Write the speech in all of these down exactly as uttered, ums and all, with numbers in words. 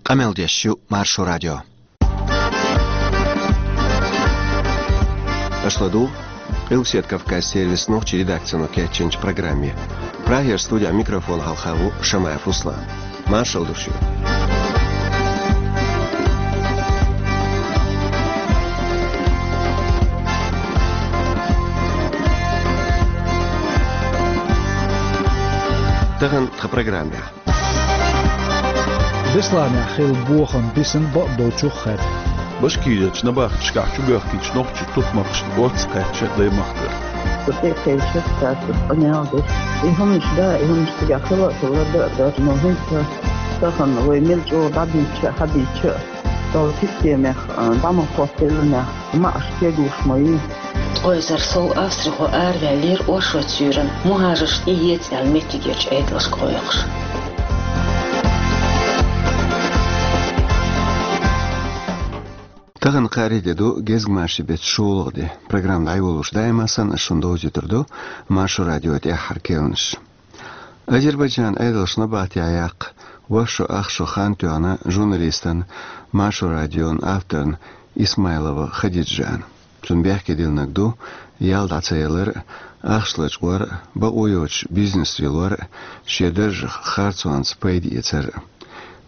Къамел деш ю Маршо радио. Аша ладугӀу Къилбаседа Кавказан сервисан нохчийн редакцино кечйинчу программе. Прагера студехь микрофон хьалха ву Шамаев Руслан. Маршалла ду шуьга. Тахана тхан программехь. Бесланехь хилла бохам бисина бакъдолчух хаьдда. Башкирерчу набахташкахь чубоьхкинчу нохчийн тутмакхашна оццу кхаьчча даймахкара. Со тӀекхаьчча, цаьрца къамел деш. И хӀуманаш да, и хӀуманаш цигахь хила а хилла, дан а дара, но хӀинца тахана вай мел чӀогӀа дӀабийча а, хьабийча а, долу системех, а, дӀа ма хӀоттаеллинехь, маьӀаш кеглуш ма ю. Ткъа эзар сов австрихо араваьллера оршот суьйранна, мухӀажарш тӀеэца аьлла меттигерчу Ӏедалшка гӀойкхуш. Тахана кхаарин де ду, гезгмашин беттан шолгӀа де. Программа дӀайолош даима санна, ас шуна довзуьйтур ду Маршо радион тӀаьххьара керланаш. Азербайджанан Ӏедалша набахтехь яккха ворхӀ шо ах шо хан тоьхна журналистана, Маршо радион авторна Исмайлова Хадиджана. Цунна бехке диллинарг ду ял дӀа ца ялар а, ахча лачкъор а, бакъо йоцуш бизнес лелор а, шен даржах харцонца пайда эцар а.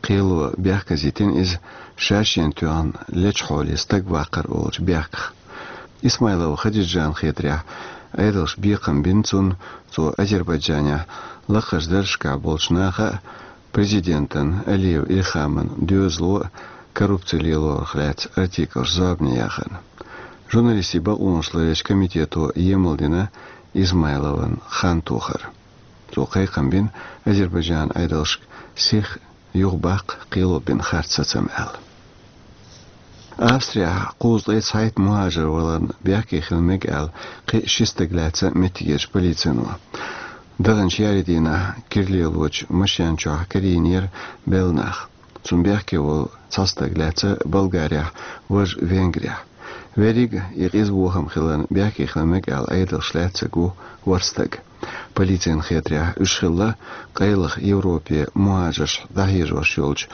Кхело бехказийтина иза ша-шена тоьхна лечу хьоле стаг ваккхар олучу бехках. Исмайлова Хадиджанна хетарехь, Ӏедалша бекхам бина цунна, цо Азербайджанехь лакхарчу даржашкахь болчу наха а, президентан Алиев Ильхаман доьзало а коррупци лелорах лаьцна артиклаш зорбане яхарна. Журналистийн бакъонаш ларъечу комитето емалдина Исмайлован хан тохар. Цо кхайкхам бина Азербайджанан Ӏедалшка сих юхабаккха, кхело бина харц сацам аьлла. Австрехь кхузткъе цхьайтта мухӀажар валарна бехке хила мега аьлла, кхин а ши стаг лаьцна меттигерчу полицино. Даханчу ярийн дийнахь кира лелочу машен чохь карийнера белла нах. Цунна бехке волу цхьа стаг лаьцна Болгарехь, важа Венгрехь. Верриг а и къиза бохам хиларна бехке хила мега аьлла Ӏедалша лаьцнарг ву ворхӀ стаг. Полицина хетарехь, уьш хилла къайлаха Европе мухӀажарш дӀахьежош йолчу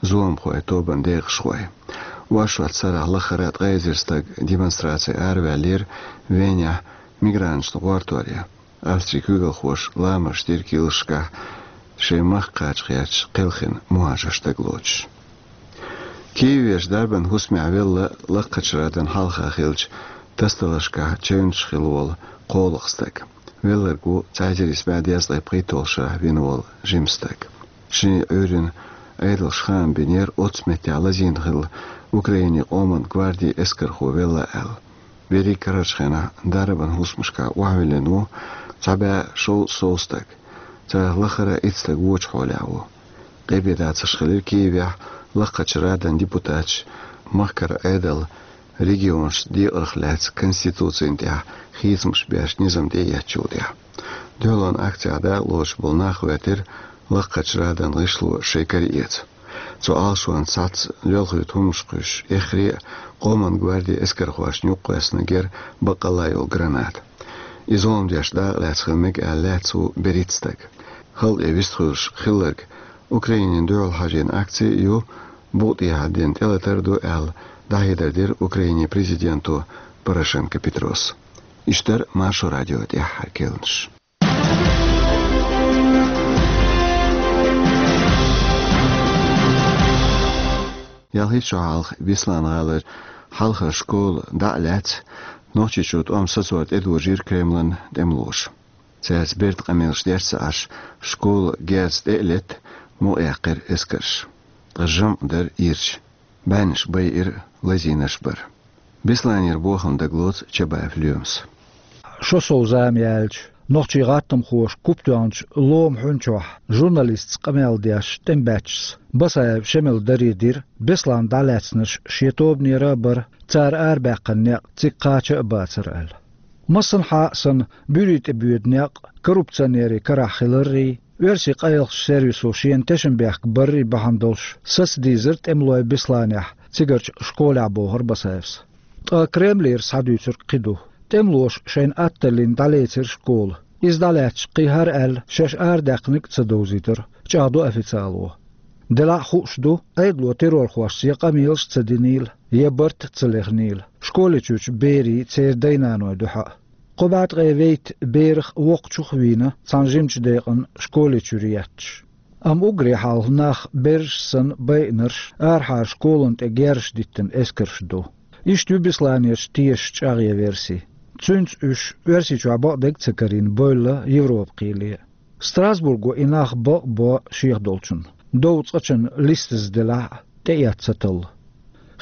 зуламхойн тобанан декъашхой. Оршот сарахь лахара ткъе эзар стаг демонстраци араваьллера Венехь мигранташна гӀортор ян. Австрин куьйгалхоша ламаз дира килсашкахь, шайн махка кхача гӀерташ кхелхина мухӀажарш дагалоцуш. Киевехь дарбан хӀусамехь велла лакхачу радан хьалха хиллачу тасадаларшкахь чевнаш хилла волу кхоалгӀа стаг. Велларг ву цхьа эзар исс бӀе дезткъе пхийтталгӀачу шарахь вина волу жима стаг. Шен Ӏуьйранна Ӏедалша хаам бинера оццу меттехь лазийна хилла Украинин къоман гвардин эскархо велла аьлла. Верриг карарчу хенахь дарбан хӀусамашкахь охьавиллина ву цхьа бӀе шовзткъа сов стаг. Царах лахара итт стаг вочу хьолехь ву. Къепедацарш хилира Киевехь лакхачу радан депутаташ махкара Ӏедал регионашца декъарх лаьцна конституцина тӀехь хийцамаш беш низам тӀеэцначул тӀаьхьа. Дуьхьалонан акцехь дакъалоцуш болу нах гӀоьртира лакхачу радан гӀишло шайн кара эца. Цу Ӏалашонца схьацца лелхуьйту хӀуманаш кхуьйсуш, эххар а къоман гвардин эскархошна юккъе кхоьссинарг яра баккъалла йолу граната. И зулам деш дакъалаьцна хила мега аьлла лаьцна ву берхӀитта стаг. Халкъе вистхуьлуш хилларг Украинина дуьхьал хьажийна акци а ю, букъа тӀехьа дина тӀелатар а ду аьлла, дӀахьедар дира Украинин президенто Порошенко Петрос. Иштта дара Маршо радион тӀаьххьара керланаш. Ялхитта шо хьалха Беслан-гӀалара хьалхара школа дӀа а лаьцна, Нохчийчу тӀом сацор тӀедожийра Кремлан тӀемалоша. Цаьрца берда къамелаш деш ца Ӏаш, школа герз тӀе а летта, мукъаяьккхира эскарша. Ткъа жамӀ дара ирча. БӀеннаш байира, лазийнарш бара. Бесланера бохам дагалоцу Чабаев Лоьмас. Шо сов зама яьлча, нохчийн гӀаттамхоша куп тоьхначу ломан хьуьн чохь журналистца къамел деш тӀемабаьччас Басаев Шемала даре дира, Беслан дӀалаьцнарш шен тобанера а бара, цара арабаьккхина некъ цига кхача а бацара аьлла. Массанхьа а санна, буьрий тӀе боьду некъ коррупционерийн карахь хиларрий, оьрсийн къайлахчу сервисо шена тешнабехк баррий бахьана долуш сацадийзира тӀемалой Бесланехь, цигарчу школехь, бохура Басаевс. Ткъа Кремлера схьадуьйцург кхин ду. ТӀемалоша шайна атталлина дӀалецира школа. Иза дӀалаьцча, кхин хӀара аьлла, шаьш арадаьккхинарг а ца довзийтира, чӀагӀдо официало. Делахь а хууш ду, Ӏедало террорхошца я къамелаш ца динийла, я барт ца лехнийла школе чуьрчу берийн, церан дай-наной дуьхьа а. Кхо бӀе ткъе вейтта берах а, воккхачух а вийна цхьана жимачу декъана школе чуьра етташ. Амма уггаре хьалха нах, бераш санна байинарш, арахьара школана тӀе герзаш диттина эскарш ду. Иштта ю Бесланерчу тешаш чӀагӀъян верси. Цуьнца уьш, Оьрсийчохь бакъдерг а ца карийна, бевлла Европа кхеле. Страсбурго и нах бакъ а бо шех долчунна. Дов цкъачунна листаза делахь а, тӀеэцна ца талла.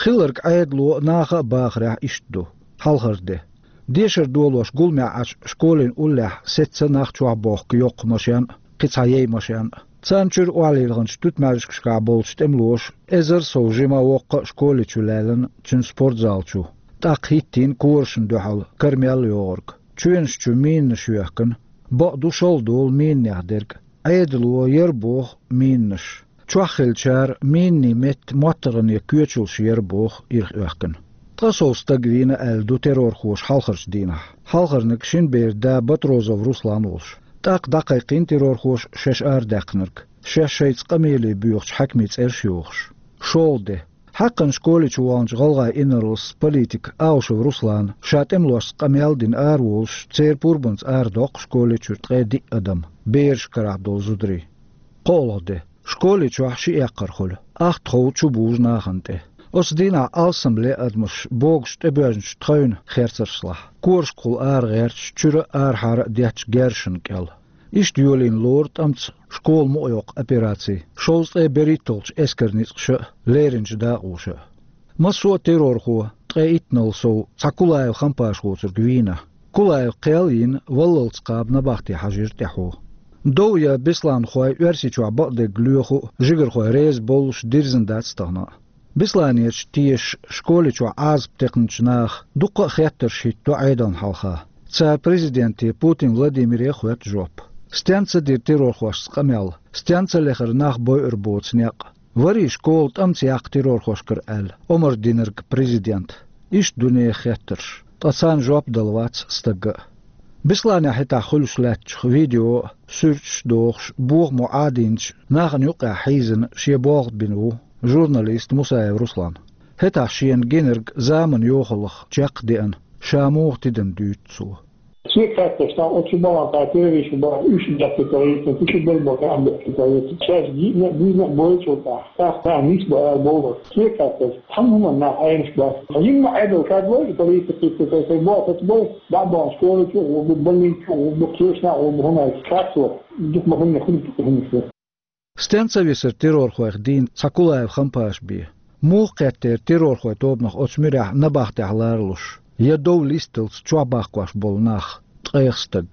Хилларг Ӏедало а, наха а бахарехь иштта ду. Хьалхара де. Дешар долош гуламехь Ӏачу школин уллехь сецна нах чохь бохку йоккха машен а, кхин цхьа яй машен а. Царна чуьра охьалилхинчу туьтмаьжигашкахь болчу тӀемалоша эзар сов жима воккха а школе чу лаьллина, цуьнан спортзал чу. ТӀаккха хӀиттийна корашна дуьхьал кара мел йогӀург. Чоьнаш чу минаш йоьхкина. Бакъду, шала долу минех дерг. Ӏедало яра боху минаш. Чохь хиллачара минийн метта моттаргӀане коьчалш яра боху ирхъоьхкина. Ткъа сов стаг вийна аьлла ду террорхоша хьалхарчу дийнахь. Хьалхарниг шина беран да Батрозов Руслан волуш. ТӀаккха дӀакхайкхийна террорхоша шаьш арадаьккхинарг, шаьш шайца къамеле боьхучу хьаькамийн цӀераш йохуш. ШолгӀа де. Хьаькхна школе чу ваханчу гӀалгӀайн инарлас политика Аушев Руслана, ша тӀемалошца къамел а дина араволуш, церан пурбанца арадоккху школе чуьра ткъе диъ адам, бераш карахь долу зударий. КхоалгӀа де. Школе чохь ши эккхар хуьлу, ахтахов чубужу нахана тӀе. Оцу дийнахь алсамле адамаш богуш тӀебоьжначу тхевна херцаршлахь, корашкахула арагӀерташ, чуьра а, арахьара а детташ герзашна кӀел. Иштта йолийна лору тӀамца школа мукъайоккху операци шовзткъе берхӀитталгӀачу эскаран ницкъаша а, лерринчу дакъоша а. Массо а террорхо ткъе иттанал сов цхьа Кулаев Хампаш воцург вийна. Кулаев кхел а йина, валлалц кхаба набахте хьажийра тӀаьхьо. Дов ян бесланхой Оьрсийчохь бакъдерг лоьху а, жигархой реза боллуш дирзина дац тахана а. Бесланерчу тешаш школе чохь Ӏазап текхначу наха дуккха а хеттарш хӀиттадо Ӏедална хьалха. Цара президенте Путин Владимире а хоьтту жоп. Стенна ца дира террорхошца къамел, стенна ца лехара нах бойур боцу некъ? Варий школа тӀамца яккха террорхошкара аьлла, омра динарг президент? Иштта ду нехан хеттарш, ткъа царна жоп дала вац стагга а. Бесланехь хӀетахь хуьлуш лаьттачух видео а, суьрташ а дохуш, бохамо Ӏадийначу нахана юккъехь хьийзина шен болх бина ву журналист Мусаев Руслан. ХӀетахь шена гинарг заманан йохаллах чекх а деана, ша муха тидам дуьйцу цо. Шен кхетташ, тахана оцу балан тӀехь террористаш бара, уьш бехке ца вайта, кхин шу бен бара, ам бехке ца вайта. Шаьш гиъна а, буьйна а бойчул тӀехь, тӀаккха нис бара аьлла бовлар. Шен кхетташ, цхьана хӀуманна нах Ӏенаш бац. Ткъа йина ма Ӏедал кад вай, и полиция кхийтта, тхайн, тхайн боху, тхайн боху, дӀа а бахана школа чу а гӀо бу, больница чу а гӀо бу, кхечу наха а гӀо бу, хӀунда аьлча кхаьчо, дукха ма хӀунда, хӀунда, хӀунда. Стенна ца висара террорхойх дийна цхьа Кулаев Хампаш бен? Муха кхеттера террорхойн тобанах оцу муьрехь набахтехь ларалуш, я дов листалц чохь баккхош болу нах, ткъех стаг?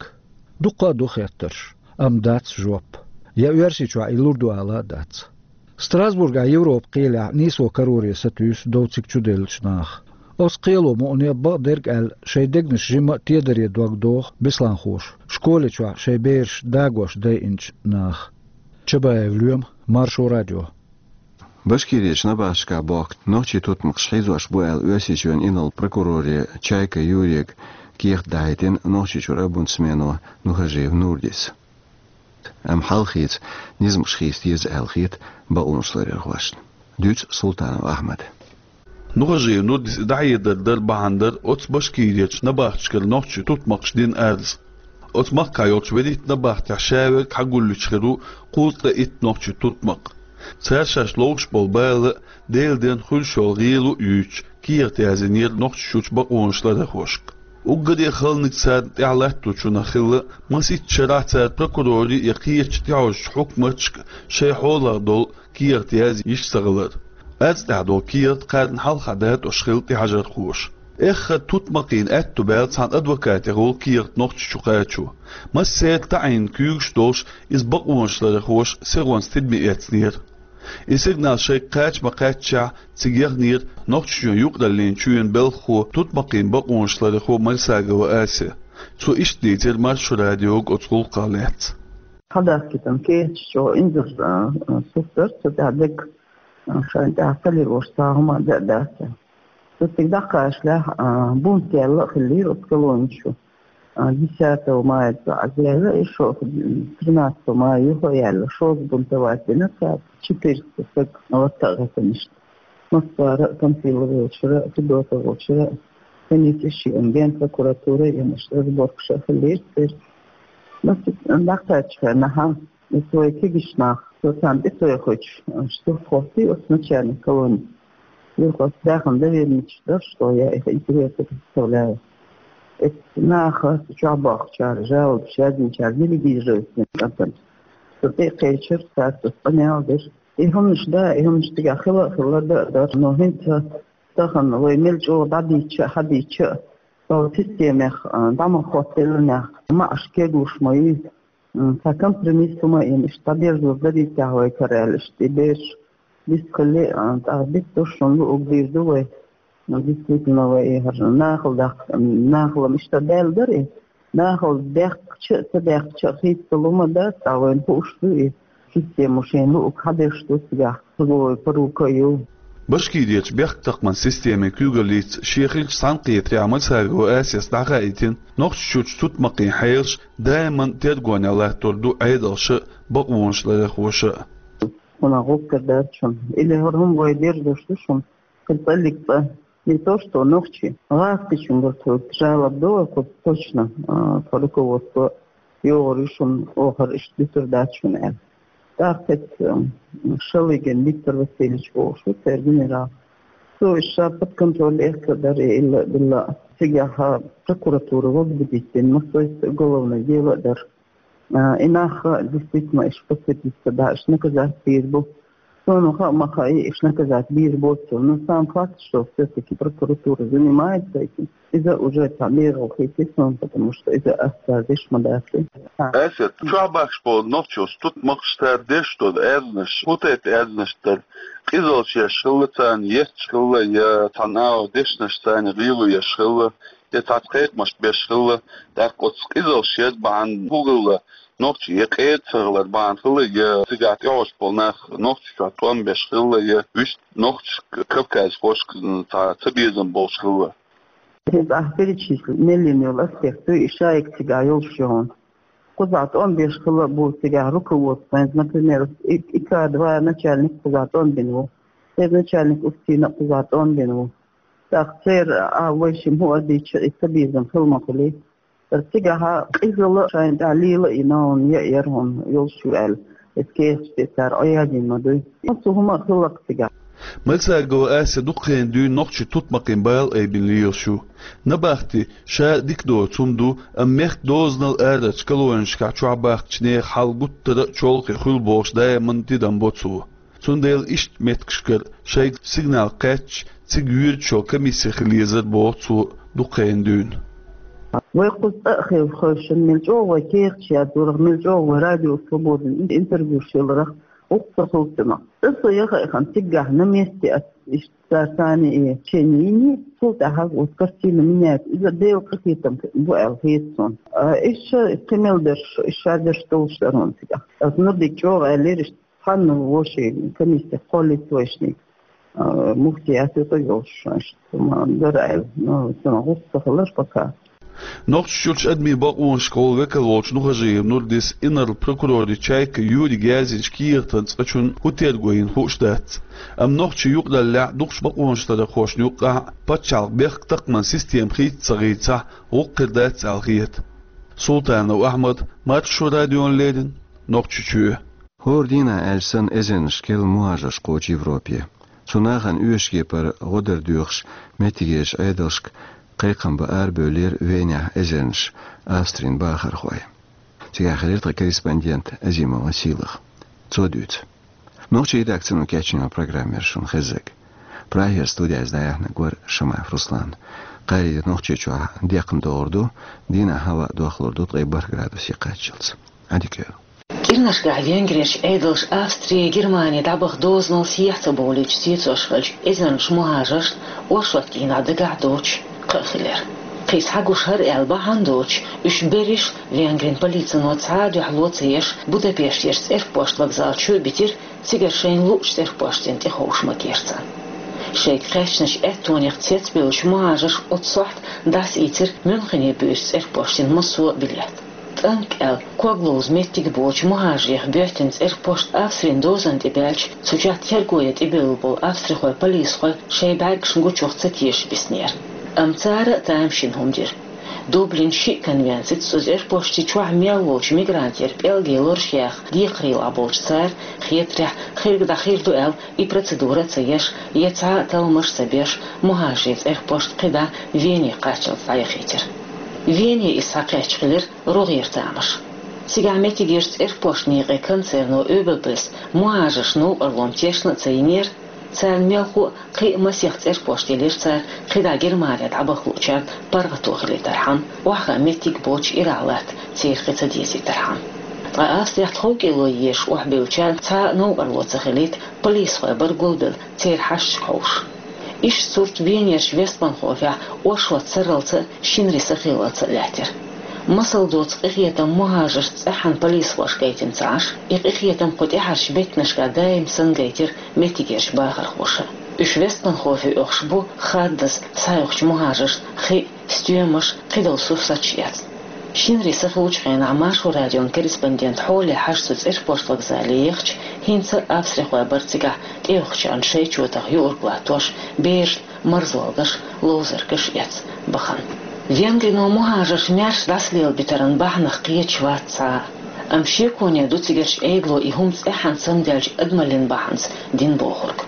Дуккха а ду хеттарш, амма дац жоп. Я Оьрсийчохь и лур ду ала а дац. Страсбургехь Европа кхелехь нийсо кароре сатуьйсу дов цига чуделлачу наха. Оцу кхело мукъане бакъдерг аьлла, шайн дегнаш жимма а тедаре дог доху бесланхоша, школе чохь шайн бераш дагош дайинчу наха. Чабаев Лоьма, Маршо радио. Башкирерчу набахташкахь бохку нохчийн тутмакхаш хьийзош бу аьлла, Оьрсийчоьнан инарла прокуроре Чайка Юрийга кехат дахьийтина Нохчийчуьра омбудсмено Нухажиев Нурдис. Амма хьалхеца низамаш хийца деза аьлла хета бакъонашларъярхошна. Дуьйцу Султанов Ахьмада. Нухажиев Нурдис и дӀахьедар дар бахьана дара оцу Башкирерчу набахташкара нохчийн тутмакхаша дина арз. Оцу махкахь йолчу вуьрхӀитта набахтехь ша верг хьагулъечу хир ву кхузткъе итт нохчийн тутмакх. Цара шаьш ловш болу бала а, Делан денна хуьлуш йолу гӀело а юьйцуш, кехат яздинера Нохчийчуьрчу бакъонашларъярхошка. Уггаре а халаниг царна тӀехь латточунах хилла масийтта шарахь цара прокурорийн я кхечу тӀехьожучу хьукматашка шайн хьолах долу кехат язъеш ца хилар. Арз тӀехь долу кехат кхарна хьалха датӀош хилла тӀехьажархоша. Эххар тутмакхийн аьтту баьлла цхьана адвокате гӀолу кехат Нохчийчу кхачо. Массеран таӀийна куьйгаш а долуш, иза бакъонашларъярхоша сихонца тидаме эцнера. И сигнал шайга кхача ма-кхаьччехь, цига яхнера Нохчийчоьнан юкъараллин чоьнан белхахо, тутмакхийн бакъонашларъярхо Марсагова Ася. Цо иштта дийцира Маршо радиога оцу гӀуллакхах лаьцна. Хьадахкийтина кехаташ чӀогӀа инзаре, а, а, сурт дара, цу тӀехь дерг, а, шайна тӀехь ца лелош цхьа хӀума а дац. Цу цига дӀакхачалехь, а, бунт яьлла а хиллера оцу колонеш чу. А, десятого мая цо Ӏозаьлла, и шо, тринадцатого мая юха а яьлла, шозза бунтовать дина цара, четыреста саг латта а гӀоттийна иштта. Москвара а, Панфилов волчара а, Федотов волчара а, комиссия а, Генпрокуратура а, иштта разборкаш а хилира церан. Масийтта дӀакхаьчча хенахь, и цу вай кегийча наха, цо царна тӀе ца йохуьйтуш, а, штурхоттий оцу начальник колонии. Юха оцу дахана доверенность даш, что я их интересы представляю. Эцу наха, чохь бохучара, жалобаш яздинчара делегировать дина кӀантана. Со тӀе а кхечира, цара цунна къамел дира. И хӀуманаш да, и хӀуманаш цигахь хила а хилла, да а дара, но хӀинца тахана вай мел чӀогӀа дӀадийча а, хьадийча а, вай системех, а, дӀа ма хӀоттаделла нах, маӀаш кеглуш ма ю. М, цхьа компромисс хӀума а йина, иштта дӀадерзор дарий техьа вай кара аьлла, иштта и бераш дицхили, а, тӀаккха диц ду шуна, луъург дийр ду вай. Ну, действительно, вай и хӀара нахала даккха, нахала-м иштта даьлла дара и. Нахала даьккхича а, ца даьккхича а хийцалума дац, ткъа вайна хууш ду и. Система шайна луъург хьадеш ду цигахь, хӀара вай порука а ю. Башкирерчу бехктакхаман системин куьйгаллица шен хиллачу цхьаьнакхетарехь Мальсагова Асета дӀахаийтина, Нохчийчуьрчу тутмакхийн хьелаш даиман тергонехь латтор ду Ӏедалша а, бакъонаш ларъярхоша а. ХӀунда гӀуллакх дац шуна? Или хӀара хӀума вай дерзош ду шуна? Кхин цӀаллиг цӀа. Не то, что нохчий, гӀазкхичуьнгара тхоьга жалоба до, кху точно, а, тхо руководство йогӀур ю шуна, оха хӀара иштта дуьтур дац шуна аьлла. ТӀаккха кхечу, м, Шалыгин Виктор Васильевич бохуш ву церан генерал. Цо иза ша под контроль эцна дара, и илла а, билла а. Цигахь прокуратура возбудить дина, массо а уголовное дело а дара. А, и нах действительно иш подсудиться, да, иш наказать бийр бу. Суна хаьа ма хаьа, иш наказать бийр боцург. Но сам факт, что всё-таки прокуратура занимается этим, иза уже цхьа мегар хийци суна, потому что иза ас цара деш ма дац. Асет, чохь бахкаш болу нохчий, тутмакхаш, цара деш долу аьрзнаш, хӀун тайпа аьрзнаш дара? Къизаллаш еш хилла царна, етташ хилла, я цхьана агӀор дешнаш царна гӀело еш хилла, я цхьацца кхайкхамаш беш хилла, тӀаккха оцу къизаллаш яр бахьана хӀун хилла, нохчий я къера ца хилар бахьана хилла, я цигахь тӀехьожуш болу нах Нохчийчохь тӀом беш хилла, я вуьшта нохчашка, кавказхошка цхьа цабезам болуш хилла. Иза ахь перечислить мел йина йолу аспект ду, и шайга цигахь йолуш ю хьуна. Кхузахь тӀом беш хилла а бу цигахь руководство, например, и, и К два начальник кхузахь тӀом бина ву, и начальник УФСИН-а кхузахь тӀом бина ву. ТӀаккха церан а вайшимма хӀун а дийцича, и цабезам хила ма хуьлий. Цигахь къизалла шайна тӀехь лела а йина хьуна, яа яра хьуна йолуш ю аьлла, иза кехаташ тӀе цара Ӏоядийна ма дуй. Цу хӀума а хилла-кх цигахь. Мальсагова Асет дукха хенахь дуьйна нохчийн тутмакхийн бала айбина лелаш ю. Набахти ша дика доцу хӀума ду, амма мехкан дозанал арарчу колонешкахь чохь бахкачу нехан хьал гуттара а чолхе хуьлу бохуш даиман тидам бо цо. Цундела иштта меттигашкара шайга сигнал кхаьчча, цига йоьдучу комиссехь хила езара боху цо дукха хенахь дуьйна. Вай кхуза цӀа а хила хевшина, мел чӀогӀа вай кехаташ яздорах, мел чӀогӀа вай Радио Свободин интервьюш яларах, гӀуллакх ца хуьлу цунах. Аса яха а хан цигахь на месте ас иштта цара царна и лечение йиний, цул тӀаьхьа вот картина меняется. Иза Делан къинхетам бу аьлла хета суна. А, иштта кхин мел дерш, иштта дерш долуш дара хьуна цигахь. Аса Нурдига чӀогӀа аьллера иштта. Цхьанна вовшийн комиссех кхоллаца вайшниг, а, муфтият юкъа йолуш, иштта ма дара аьлла. Ну, цунах гӀуллакх ца хилар пока. Нохчийчуьрчу адамийн бакъонашкахула векал волчу Нухажиев Нурдис инарла прокуроран чайка Юрига яздинчу кехатан цкъачунна хӀун терго йина хууш дац. Амма нохчийн юкъараллехь дукхачу бакъонашларъярхошна юккъехь пачхьалкхан бехктакхаман система хийца ца хийцахь, гӀуллакх хир дац аьлла хета. Султанов Ахьмад, Маршо радиона леррина, Нохчийчоь. ХӀора дийнахь аьлча санна эзарнашкахь мухӀажарш кхочу Европе. Цу нахана оьшуш кепара гӀо дар доьхуш меттигерчу Ӏедалшка кхайкхам бан арабевллера Венехь эзарнаш Австрин бахархой. Цигахь хилира тхан корреспондент Азимова Сийлаха. Цо дуьйцу. Нохчийн редакцино кечйина программа яра шуна хезнарг. Прагера студехь иза дӀаяьхьнарг вара Шамаев Руслан. Кхаарин де Нохчийчохь декхна догӀур ду, дийнахь хӀаваъ дохлур ду ткъе бархӀ градусе кхаччалц. Ӏадика йойла. КӀирнашкахь Венгрерчу Ӏедалша Австри, Германи дӀабаха дозанал сехьа ца бовлуьйтуш цецош хиллачу эзарнаш мухӀажаршна оршот дийнахь дагахь доцуш кхаъ хилира. Кхин схьагуш хӀара аьлла бахьана доцуш, уьш берриш а Венгрин полицино цхьа а дуьхьало ца еш, Будапештерчу цӀерпошт вокзал чу а битира, цигара шайна луучу цӀерпоштана тӀе ховша ма-керра царна. Шайга кхаьчначу аьттонех цецбевллачу мухӀажарша оццу сохьта дӀасаийцира Мюнхене буьйсу цӀерпоштан массо а билет. ТӀанкӀ аьлла, ког ловза меттиг боцучу мухӀажарех боьттина цӀерпошта Австрин дозанна тӀе баьлча, цу чохь терго ян тӀебевлла болу австрихой полисхой шайн бӀаьргашна гучух ца теша биснера. Амма цара а тамашийна хӀума дира. Дублин шиъ конвенцица цу цӀерпошти чохь мел волчу мигрантера пӀелгийн лораш яха декхарийлахь болчу цара, хетарехь, хирг дӀахир ду аьлла, и процедура а ца еш, я цхьа а талламаш а ца беш, мухӀажарийн цӀерпошта кхидӀа Вене кхаччалц дӀаяхийтира. Вене иза схьакхаьчча хилира рогӀера тамаш. Цигахь меттигерчу цӀерпошта некъан концерно ОББ-с мухӀажаршна новкъарло тешна а ца йинера, царна мелхо а кхин а масех цӀерпошт елира цара кхидӀа Германе дӀабаха луучарна паргӀато хилийтархьама, охьахаа меттиг боцуш ирахь латта церан кхин ца дезийтархьама. Ткъа Австрехь тховкӀело езаш охьабевллачарна цхьа а новкъарло ца хилийта, полисхой бара гулбелла церан хьашташка хьовсуш. Иштта сурт Венерчу Вестбанхофехь оршот сарралц а, шинарин сахиллалц а лаьттира. Масал доцу къинхетам мухӀажаршна цӀеххьана полисхоша гайтина ца Ӏаш, и къинхетам кху тӀаьхьарчу беттанашкахь даим санна гайтира меттигерчу бахархоша. Уьш Вестбанхофе оьхуш бу хаддаза схьаоьхучу мухӀажаршна хи а, стоьмаш а, кхидолу сурсаташ а эцна. Шинарин сахиллачу хенахь Маршо радион корреспондент хьоле хьажа цу цӀерпошта вокзале ехча, хӀинца а австрихой бара цигахь тӀеоьхучарна шайн чотах юург латтош, берашна марзолгаш, ловзаргаш эцна бахана. Венгрино мухӀажарш маьрша дӀасалелабитаран бахьанах кхеташ вац цхьа а. Амма шеконе ду цигарчу Ӏедало и хӀума цӀеххьана самадаьллачу адамаллин бахьанца дина бохург.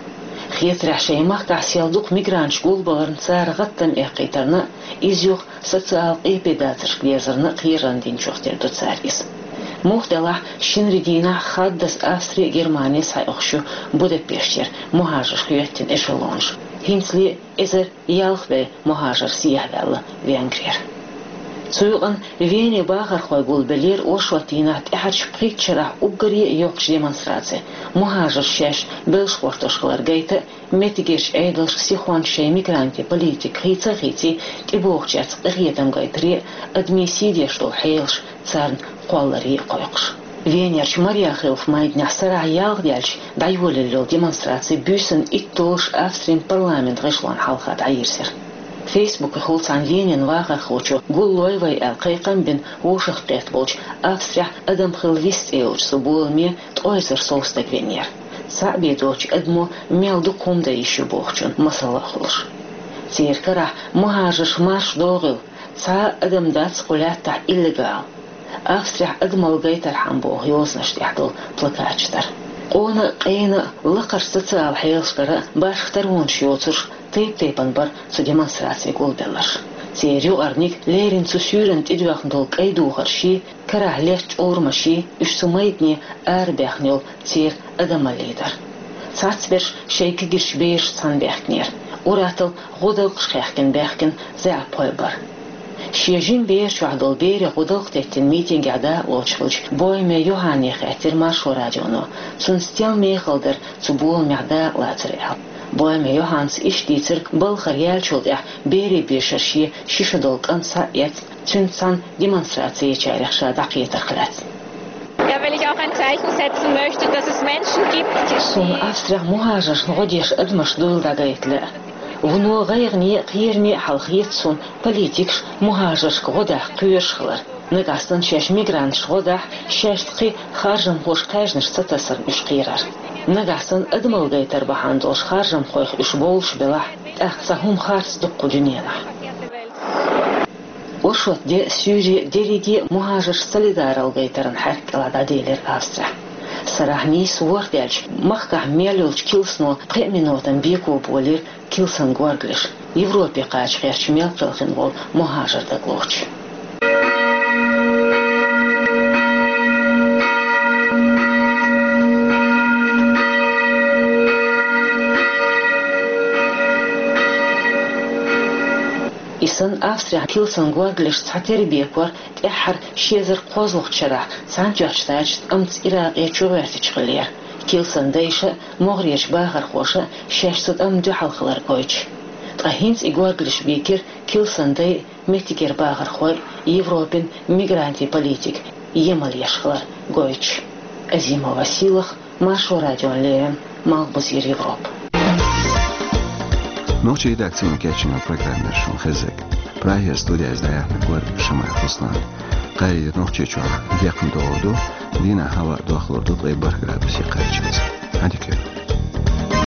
Хетарехь, шайн махкахь сел дукха мигранташ гулбаларна, цара гӀаттам эккхийтарна а, иза юха социал къепедацаршка дерзарна а кхерарна динчух тера ду цара иза. Муха делахь, шинарин дийнахь хаддаза Австри а, Германи а схьаоьхуш ю Будапештера мухӀажарш хьоьттина эшелонаш. ХӀинцале эзар ялх бӀе мухӀажар сехьаваьлла Венгрера. Цу юкъанна Вене бахархой гулбеллера оршот дийнахь тӀаьхьарчу пхийтта шарахь уггаре а йоккхачу демонстраци, мухӀажарш шаьш белш гӀортош хилар гайта а, меттигерчу Ӏедалшка сихонца шайн мигрантийн политика хийца а хийций, тӀебогӀучаьрца къинхетам гайтаре а, адамийн сий деш долу хьелаш царна кхолларе а кхойкхуш. Венерчу Мариахилф майданехь сарахь ялх даьлча дӀайолаелла йолу демонстраци буьйсанна итт долуш Австрин парламентан гӀишлонна хьалха дӀайирзира. Фейсбукехула цхьана Венин вахархочо гуллой вай аьлла кхайкхам бина вовшахкхетта болчу Австрехь «Адам хила вист» цӀе йолчу цу боламе ткъе эзар сов стаг веанера. Цхьаъ бен доцучу адамо мел дукха хӀума дан йиш ю бохучун масал а хуьлуш. Церан карахь мухӀажарш марша догӀийла, цхьа а адам дац кху лаьттахь иллегал. Австрехь адамалла гайтархьама боху йозанаш тӀехь долу плакаташ дара. Къона а, къена а, лакхарчу социал хьелашкара а башха таронаш йоцурш тайп-тайпана бара цу демонстраци гулбелларш. Церан юкъарниг леррина цу суьйранна тӀедоьхна долу кӀайн духаршший, карахь летта чӀурамашший, уьш цу майдане арабаьхна йолу церан адамаллий дара. Цхьацберш шайн кегийрхой берашца цхьаьна баьхкинера, ур-атталла гӀодалкхаш хаьхкина баьхкина заьӀапхой бара. Шен жима бер чохь долу берех гӀодалкх теттина митингехь дакъалоцуш хиллачу Бойме Йоханне хаьттира Маршо радионо, цунна стенна мехала дара цу боламехь дакъалацар аьлла. Бойме Йоханнас иштта дийцира балхара яьллачул тӀаьхьа берийн бешара шен ши шо долу кӀант схьа а эцна, цуьнца цхьаьна демонстраци ечарех ша дӀакхетарх лаьцна. Ja, weil ich auch ein Zeichen setzen möchte, dass es Menschen gibt, die Суна Австрехь мухӀажаршна гӀо деш адамаш дуйла дӀагайта лаьа. Вуно гӀайгӀане а, кхераме а хьал хета суна политикаш мухӀажаршка гӀо даха кхоьруш хилар. Нагахь санна шаьш мигранташна гӀо дахь, шаьшца кхин харжамхошка кхаьжнаш ца тасарна уьш кхерар. Нагахь санна адамалла гайтар бахьана долуш харжамхойх уьш бовлуш белахь, тӀаккха цхьа хӀума харц ду кху дуьненахь. Оршот де а, суьйре а дерриге а мухӀажарш солидаралла гайтаран хьаьрк кӀелахь дӀаделира Австрехь. Сарахь нийсса ворхӀ даьлча, махкахь мел йолчу килсано пхеа минотан беко болийра килсан горгалеш, Европе кхача гӀерташ мел кхелхина волу мухӀажар дагалохучу. И санна Австрехь килсан горгалеш цхьатерра бекор тӀаьххьара ши эзар кхозлагӀчу шарахь Цхьаьнатоьхначу Штаташца, амма Иракъе чугӀоьртича хиллера, килсан дайша а, могӀарерчу бахархоша а шаьш цу тӀамна дуьхьал хилар гойтуш. Ткъа хӀинца и горгалеш бийкира килсан дай а, меттигера бахархой а Европин мигрантийн политика емал еш хилар гойтуш. Азимова Сийлаха, Маршо радиона леррина, Малхбузера Европа. Нохчийн редакцино кечйина программа яр шун хеззиг. Прагера студияйиз дӀаяьхьнарг вар Шамаев Руслан. Кхайрийра Нохчийчохь декхна догӀур ду, дийнахь хӀаваъ дохлур ду ткъе бархӀ градусе кхаччалц. Хьан дика.